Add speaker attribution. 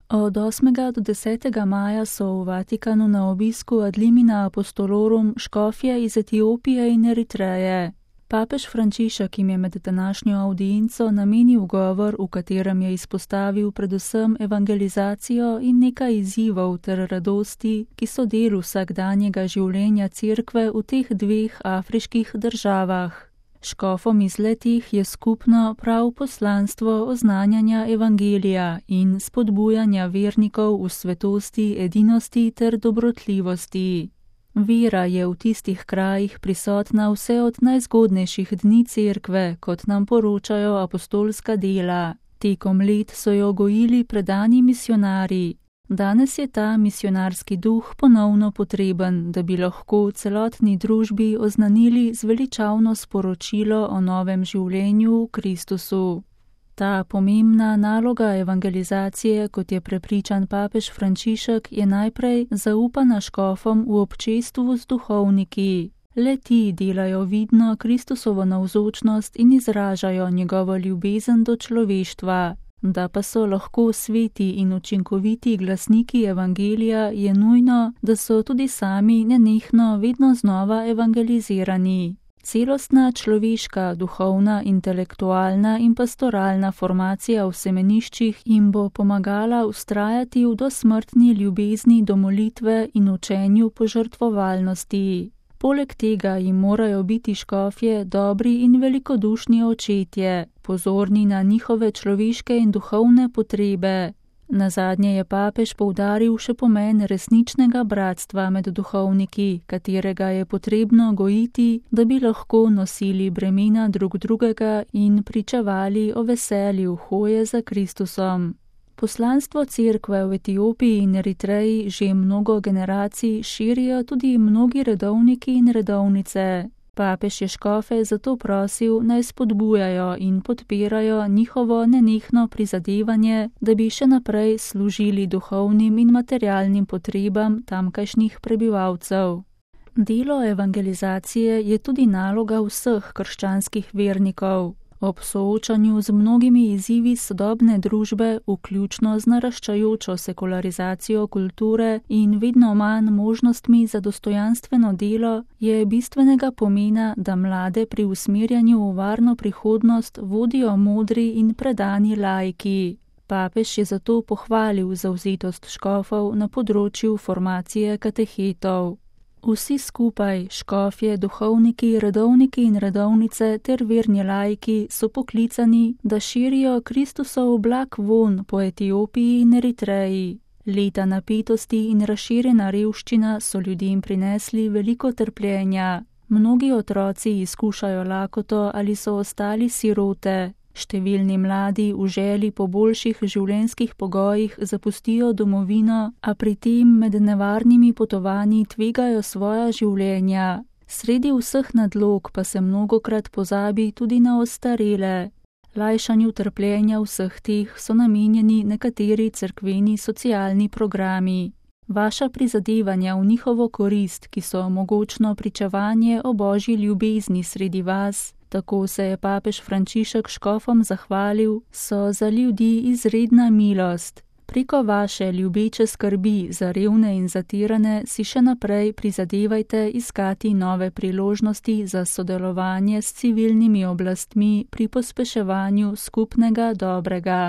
Speaker 1: Od 8. do 10. maja so v Vatikanu na obisku ad limina apostolorum škofje iz Etiopije in Eritreje. Papež Frančišek jim je med današnjo avdienco namenil govor, v katerem je izpostavil predvsem evangelizacijo in nekaj izzivov ter radosti, ki so del vsakdanjega življenja cerkve v teh dveh afriških državah. Škofom iz letih je skupno prav poslanstvo oznanjanja evangelija in spodbujanja vernikov v svetosti, edinosti ter dobrotljivosti. Vera je v tistih krajih prisotna vse od najzgodnejših dni cerkve, kot nam poročajo apostolska dela. Tekom let so jo gojili predani misionarji. Danes je ta misionarski duh ponovno potreben, da bi lahko celotni družbi oznanili zveličavno sporočilo o novem življenju v Kristusu. Ta pomembna naloga evangelizacije, kot je prepričan papež Frančišek, je najprej zaupana škofom v občestvu z duhovniki. Le ti delajo vidno Kristusovo navzočnost in izražajo njegovo ljubezen do človeštva. Da pa so lahko sveti in učinkoviti glasniki evangelija, je nujno, da so tudi sami nenehno vedno znova evangelizirani. Celostna človeška, duhovna, intelektualna in pastoralna formacija v semeniščih jim bo pomagala vztrajati v dosmrtni ljubezni do molitve in učenju požrtvovalnosti. Poleg tega jim morajo biti škofje dobri in velikodušni očetje, pozorni na njihove človeške in duhovne potrebe. Nazadnje je papež poudaril še pomen resničnega bratstva med duhovniki, katerega je potrebno gojiti, da bi lahko nosili bremena drug drugega in pričevali o veselju hoje za Kristusom. Poslanstvo cerkve v Etiopiji in Eritreji že mnogo generacij širijo tudi mnogi redovniki in redovnice. Papež je škofe zato prosil, naj spodbujajo in podpirajo njihovo nenehno prizadevanje, da bi še naprej služili duhovnim in materialnim potrebam tamkajšnjih prebivalcev. Delo evangelizacije je tudi naloga vseh krščanskih vernikov. Ob soočanju z mnogimi izzivi sodobne družbe, vključno z naraščajočo sekularizacijo kulture in vedno manj možnostmi za dostojanstveno delo, je bistvenega pomena, da mlade pri usmerjanju v varno prihodnost vodijo modri in predani laiki. Papež je zato pohvalil zavzetost škofov na področju formacije katehetov. Vsi skupaj, škofje, duhovniki, redovniki in redovnice ter verni laiki so poklicani, da širijo Kristusov blag vonj po Etiopiji in Eritreji. Leta napetosti in razširjena revščina so ljudem prinesli veliko trpljenja. Mnogi otroci izkušajo lakoto ali so ostali sirote. Številni mladi v želji po boljših življenjskih pogojih zapustijo domovino, a pri tem med nevarnimi potovanji tvegajo svoja življenja. Sredi vseh nadlog pa se mnogokrat pozabi tudi na ostarele. Lajšanju trpljenja vseh teh so namenjeni nekateri cerkveni socialni programi. Vaša prizadevanja v njihovo korist, ki so mogočno pričevanje o božji ljubezni sredi vas, tako se je papež Frančišek škofom zahvalil, so za ljudi izredna milost. Preko vaše ljubeče skrbi za revne in zatirane si še naprej prizadevajte iskati nove priložnosti za sodelovanje s civilnimi oblastmi pri pospeševanju skupnega dobrega.